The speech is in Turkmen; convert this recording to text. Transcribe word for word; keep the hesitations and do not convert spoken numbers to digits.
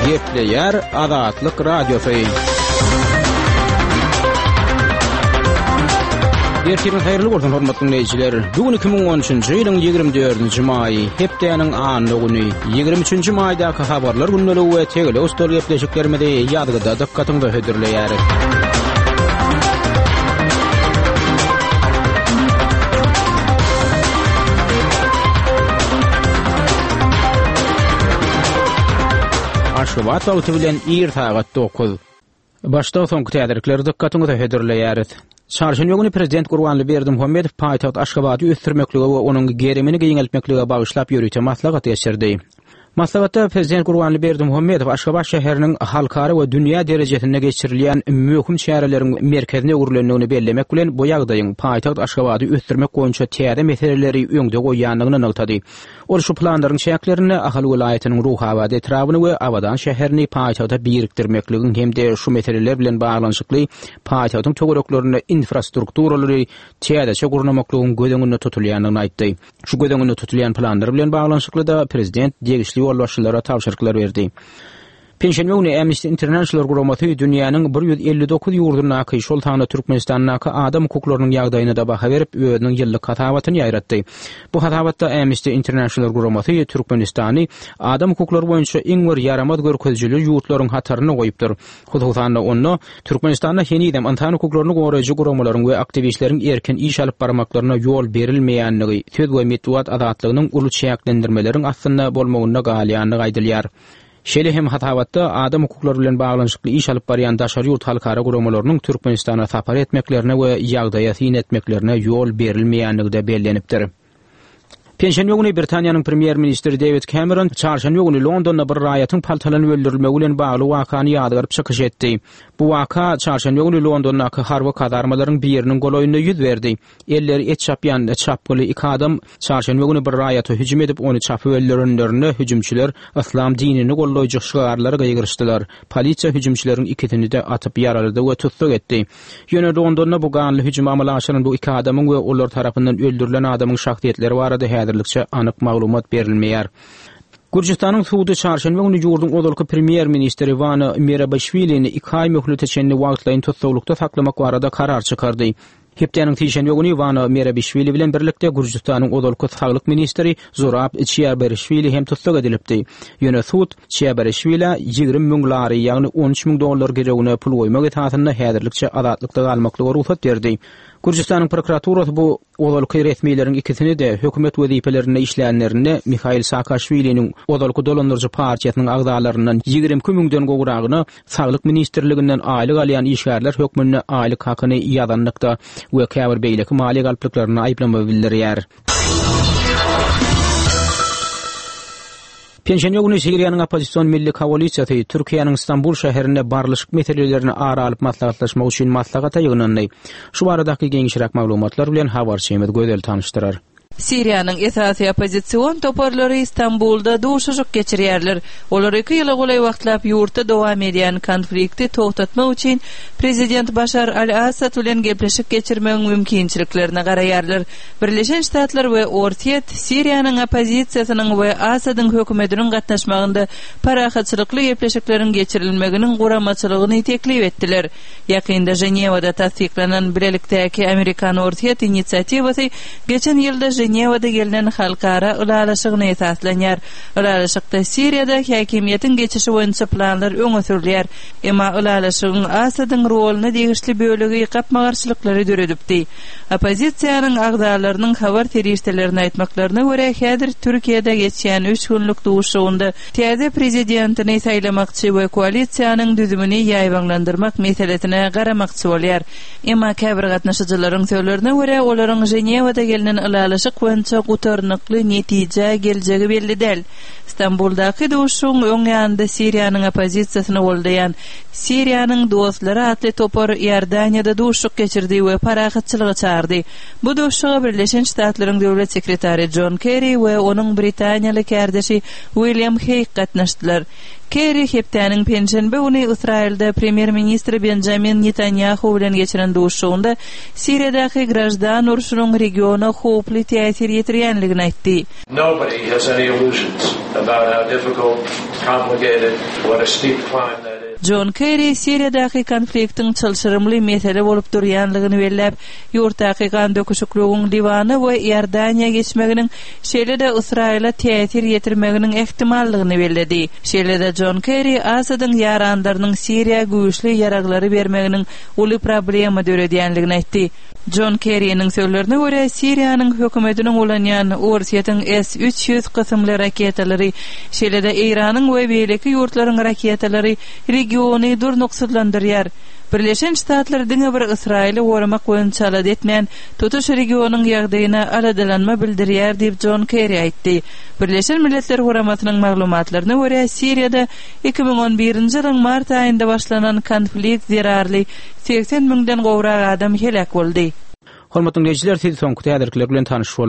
Gepleýär Azatlyk Radiosy. Ertiriň haýyrly bolsun hormatly dinleýjiler. Bu gün iki müň on üçünji ýylyň ýigrimi dördünji maýy, hepdäniň anna güni, ýigrimi üçünji maýdaky habarlar gündeligi we tegelek stol gepleşiklerimizi ýazgyda dykgatyňyza hödürleýäris. Aşgabat wagty bilen ir sagat dokuz. Başda soňky täzelikleri dykgatyňyza hödürleýäris. Çarşenbe güni Prezident Gurbanguly Berdimuhamedow paýtagt Aşgabady ösdürmeklige we onuň gerimini giňeltmeklige bagyşlap ýörite maslahat geçirdi. Maslahatda Prezident Gurbanguly Berdimuhamedow Aşgabat şäheriniň halkara we dünýä derejesinde geçirilýän möhüm çäreleriň merkezine öwrülendigini bellemek bilen bu ýagdaýyň paýtagt Aşgabady ösdürmek boýunça täze meseleleri öňde goýýandygyny nygtady. Ol şu planlaryň çäklerinde Ahal welaýatynyň Ruhabat etrabyny we Abadan şäherini paýtagta birikdirmekligiň hem-de şu meseleler bilen baglanyşykly paýtagtyň töwereklerinde infrastrukturalary täzeçe gurnamaklygyň göz öňünde tutulýandygyny aýtdy. Şu göz öňünde tutulýan planlar bilen baglanyşykly-da prezident degişli ýolbaşçylara tabşyryklar berdi. Penşenbe güni Amnesty International guramasy dünýäniň bir ýüz elli dokuz ýurdundaky, şol sanda Türkmenistandaky adam hukuklarynyň ýagdaýyna-da baha berip, özüniň ýyllyk hasabatyny ýaýratdy. Bu hasabatda Amnesty International guramasy Türkmenistany adam hukuklary boýunça iň bir ýaramaz görkezijili ýurtlaryň hatarynda goýupdyr. Hususan-da, onda Türkmenistanda henizem ynsan hukuklaryny goraýjy guramalaryň we aktiwistleriň erkin iş alyp barmaklaryna ýol berilmeýändigi, söz we metbugat azatlygynyň uly çäklendirmeleriň astynda bolmagynda galýandygy aýdylýar. Şeýle hem hasabatda adam hukuklary bilen baglanyşykly iş alyp barýan daşary ýurt halkara guramalarynyň Türkmenistana sapar etmeklerine we ýagdaýa syn etmeklerine ýol berilmeýändigi-de bellenipdir. Penşenbe güni Britaniýanyň premýer-ministri Dewid Kemeron çarşenbe güni Londonda bir raýatyň paltalanyp öldürilmegi bilen bagly wakany ýazgaryp çykyş etdi. Bu waka çarşenbe güni Londondaky harby kazarmalaryň biriniň golaýynda ýüz berdi. Elleri et çapýan çapgyly iki adam çarşenbe güni bir raýata hüjüm edip, ony çapyp öldürenlerinde hüjümçiler yslam dinini goldaýjy şygarlary gygyryşdylar. Polisiýa hüjümçileriň ikisini-de atyp ýaralady we tussag etdi. Ýöne Londonda bu ganly hüjümi amala aşyran bu iki adamyň we olar tarapyndan öldürilen adamyň şahsyýetleri barada häzirlikçe anyk maglumat berilmeýär. Gürjüstanyň sudy çarşenbe güni ýurduň ozalky premýer-ministri Wano Merabişwilini iki aý möhlete çenli wagtlaýyn tussaglykda saklamak barada karar çykardy. Hepdäniň sişenbe güni Wano Merabişwili bilen birlikde Gürjüstanyň ozalky saglyk ministri Zurab Çiaberişwili hem tussag edilipdi. Ýöne sud Çiaberişwilä ýigrimi müň lari, ýagny on üç müň dollar girewine pul goýmak esasynda häzirlikçe azatlykda galmaklyga rugsat berdi. Gürjüstanyň prokuraturasy bu ozalky resmileriň ikisini-de hökümet wezipelerinde işlänlerinde Mihail Saakaşwiliniň ozalky dolandyryjy partiýasynyň agzalaryndan ýigrimi iki müňden gowragyna Saglyk ministrliginden aýlyk alýan işgärler hökmünde aýlyk hakyny ýazanlykda we käbir beýleki maliýe galplyklarynda aýyplama bildirýär. Penşenbe güni Siriýanyň oppozision milli koalisiýasy Türkiýäniň Stambul şäherinde barlyşyk meselelerini ara alyp maslahatlaşmak üçin maslahata ýygnandy. Şu baradaky giňişräk maglumatlar bilen habarçymyz Gözel tanyşdyrar. Siriýanyň esasy oppozision toparlary Stambulda duşuşyk geçirýärler. Olar iki ýyla golaý wagtlap ýurtda dowam edýän konflikti togtatmak üçin prezident Başar al-Assad bilen gepleşik geçirmegiň mümkinçiliklerine garaýarlar. Birleşen Ştatlar we Orsýet Siriýanyň oppozisiýasynyň we Assadyň hökümetiniň gatnaşmagynda parahatçylykly gepleşikleriň geçirilmeginiň guramaçylygyny teklip etdiler. Ýakynda Ženewada tassyklanan bilelikdäki amerikan-orsýet inisiatiwasy geçen ýylda Ženewada gelnen halkara ylalaşygyna esaslanýar. Ylalaşykda Siriýada häkimiýetiň geçişi boýunça planlar öňe sürülýär. Emma ylalaşygyň Asadyň roluna degişli bölegi gapma-garşylyklary döredipdi. Oppozisiýanyň agzalarynyň habar serişdelerine aýtmaklaryna görä, häzir Türkiýede geçýän üç günlük duşuşygynda täze prezidentini saýlamakçy we koalisiýanyň düzümini ýaýbaňlandyrmak meselesine garamakçy bolýar. Emma käbir gatnaşyjylaryň sözlerine görä, olaryň Ženewada gelnen ylalaşyk boýunça gutarnykly netijä geljegi belli däl. Stambuldaky duşuşygyň öň ýanynda Siriýanyň oppozisiýasyny goldaýan Siriýanyň dostlary atly topar Iordaniýada duşuşyk geçirdi we parahatçylyga çagyrdy. bardy. Bu duşuşyga Birleşen Ştatlaryň Döwlet sekretary Jon Kerri we onuň britaniýaly kärdeşi William Heýg gatnaşdylar. Kerri hepdäniň penşenbe güni Ysraýylda Premýer-ministr Benjamin Netanýahu bilen geçiren duşuşygynda Siriýadaky graždan urşunyň regiona howply täsir ýetirýänligini aýtdy. Nobody has any illusions about how difficult, complicated, what a steep climb that is. Jon Kerri Siriýadaky konfliktiň çylşyrymly mesele bolup durýanlygyny belläp, ýurtdaky gandöküşikligiň Liwana we Iordaniýa geçmeginiň, şeýle-de Ysraýyla täsir ýetirmeginiň ähtimallygyny belledi. Şeýle-de Jon Kerri Asadyň ýaranlarynyň Siriýa güýçli ýaraglary bermeginiň uly problema döredýänligini aýtdy. Jon Kerriniň sözlerine görä, Siriýanyň hökümetiniň ulanýan Orsýetiň S üç ýüz kysymly raketalary, şeýle-de Eýranyň we beýleki ýurtlaryň raketalary regiony durnuksyzlandyrýar. Birleşen Ştatlar diňe bir Ysraýyly goramak boýunça alada etmän, tutuş regionyň ýagdaýyna aladalanma bildirýär diýip Jon Kerri aýtdy. Birleşen Milletler Guramasynyň maglumatlaryna görä, Siriýada iki müň on birinji ýylyň mart aýynda başlanan konflikt zerarly segsen müňden gowrak adam heläk boldy. Hormatly dinleýjiler, siz soňky täzelikler bilen tanyş bolduňyz.